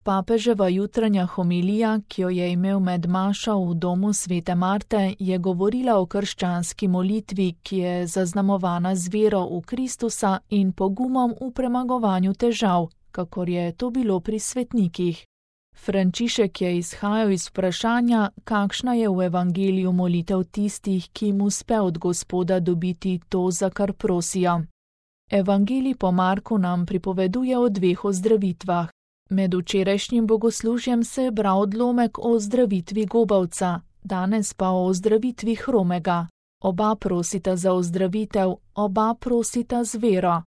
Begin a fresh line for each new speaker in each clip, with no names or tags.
Papeževa jutranja homilija, ki jo je imel med mašo v domu svete Marte, je govorila o krščanski molitvi, ki je zaznamovana z vero v Kristusa in pogumom v premagovanju težav, kakor je to bilo pri svetnikih. Frančišek je izhajal iz vprašanja, kakšna je v evangeliju molitev tistih, ki jim uspe od Gospoda dobiti to, za kar prosijo. Evangelij po Marku nam pripoveduje o dveh ozdravitvah. Med včerajšnjim bogoslužjem se je bral odlomek o ozdravitvi gobavca, danes pa o ozdravitvi hromega. Oba prosita za ozdravitev, oba prosita z vero.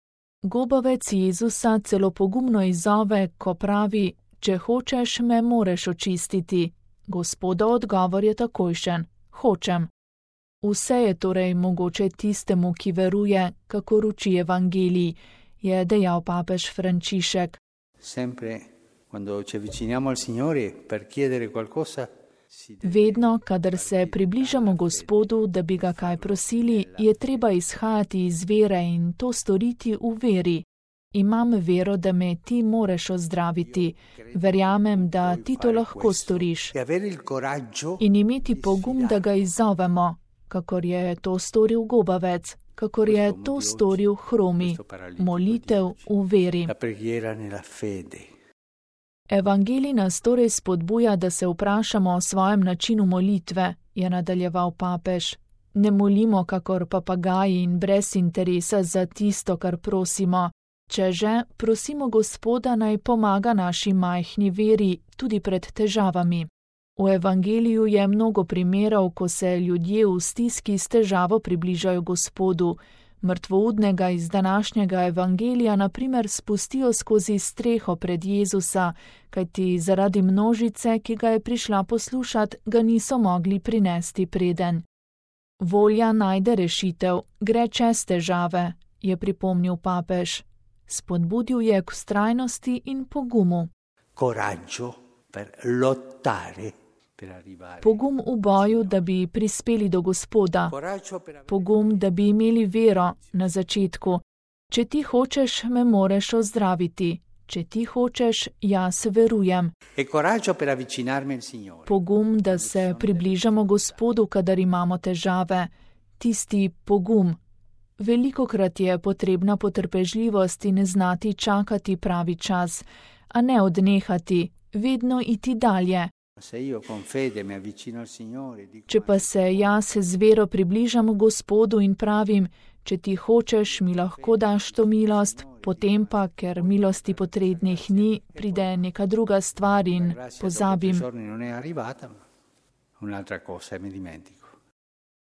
Gobavec Jezusa celo pogumno izzove, ko pravi: če hočeš, me moreš očistiti. Gospodov odgovor je takojšen: hočem. Vse je torej mogoče tistemu, ki veruje, kakor uči evangelij, je dejal papež Frančišek. Vedno, kadar se približamo Gospodu, da bi ga kaj prosili, je treba izhajati iz vere in to storiti v veri. Imam vero, da me ti moreš ozdraviti. Verjamem, da ti to lahko storiš. In imeti pogum, da ga izzovemo, kakor je to storil gobavec, kakor je to storil hromi. Molitev v veri. Evangelij nas torej spodbuja, da se vprašamo o svojem načinu molitve, je nadaljeval papež. Ne molimo kakor papagaji in brez interesa za tisto, kar prosimo. Če že, prosimo Gospoda, naj pomaga naši majhni veri tudi pred težavami. V evangeliju je mnogo primerov, ko se ljudje v stiski s težavo približajo Gospodu. Mrtvoudnega iz današnjega evangelija na primer spustijo skozi streho pred Jezusa, kajti zaradi množice, ki ga je prišla poslušat, ga niso mogli prinesti preden. Volja najde rešitev, gre čez težave, je pripomnil papež. Spodbudil je k vztrajnosti in pogumu. Pogum v boju, da bi prispeli do Gospoda. Pogum, da bi imeli vero na začetku. Če ti hočeš, me moreš ozdraviti. Če ti hočeš, jaz verujem. Pogum, da se približamo Gospodu, kadar imamo težave. Tisti pogum. Velikokrat je potrebna potrpežljivost in znati čakati pravi čas, a ne odnehati, vedno iti dalje. Če pa se jaz z vero približam Gospodu in pravim: če ti hočeš, mi lahko daš to milost, potem pa, ker milosti potrebnih ni, pride neka druga stvar in pozabim.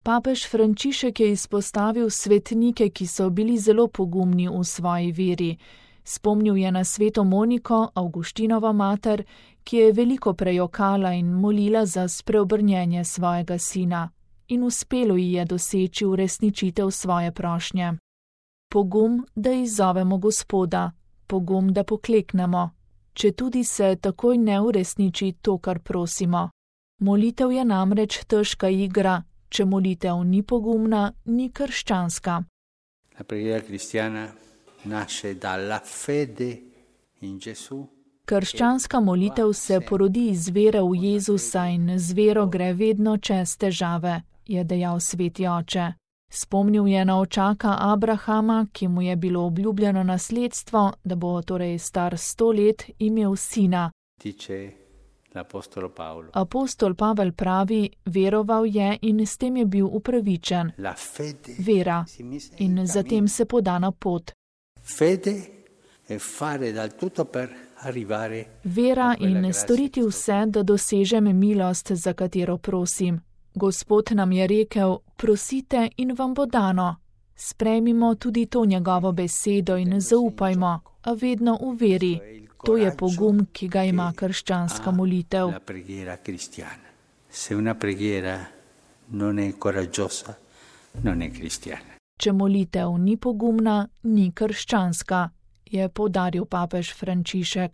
Papež Frančišek je izpostavil svetnike, ki so bili zelo pogumni v svoji veri. Spomnil je na sveto Moniko, Avguštinova mater, ki je veliko prejokala in molila za spreobrnjenje svojega sina. In uspelo ji je doseči uresničitev svoje prošnje. Pogum, da izzovemo Gospoda. Pogum, da pokleknemo. Četudi se takoj ne uresniči to, kar prosimo. Molitev je namreč težka igra. Če molitev ni pogumna, ni krščanska. Krščanska molitev se porodi iz vere v Jezusa in z vero gre vedno čez težave, je dejal sveti oče. Spomnil je na očaka Abrahama, ki mu je bilo obljubljeno nasledstvo, da bo torej star 100 let imel sina. Apostol Pavel pravi, veroval je in s tem je bil upravičen. Vera. In zatem se poda na pot. Vera in storiti vse, da dosežem milost, za katero prosim. Gospod nam je rekel: prosite in vam bo dano. Sprejmimo tudi to njegovo besedo in zaupajmo, a vedno v veri. To je pogum, ki ga ima krščanska molitev. Če molitev ni pogumna, ni krščanska, je poudaril papež Frančišek.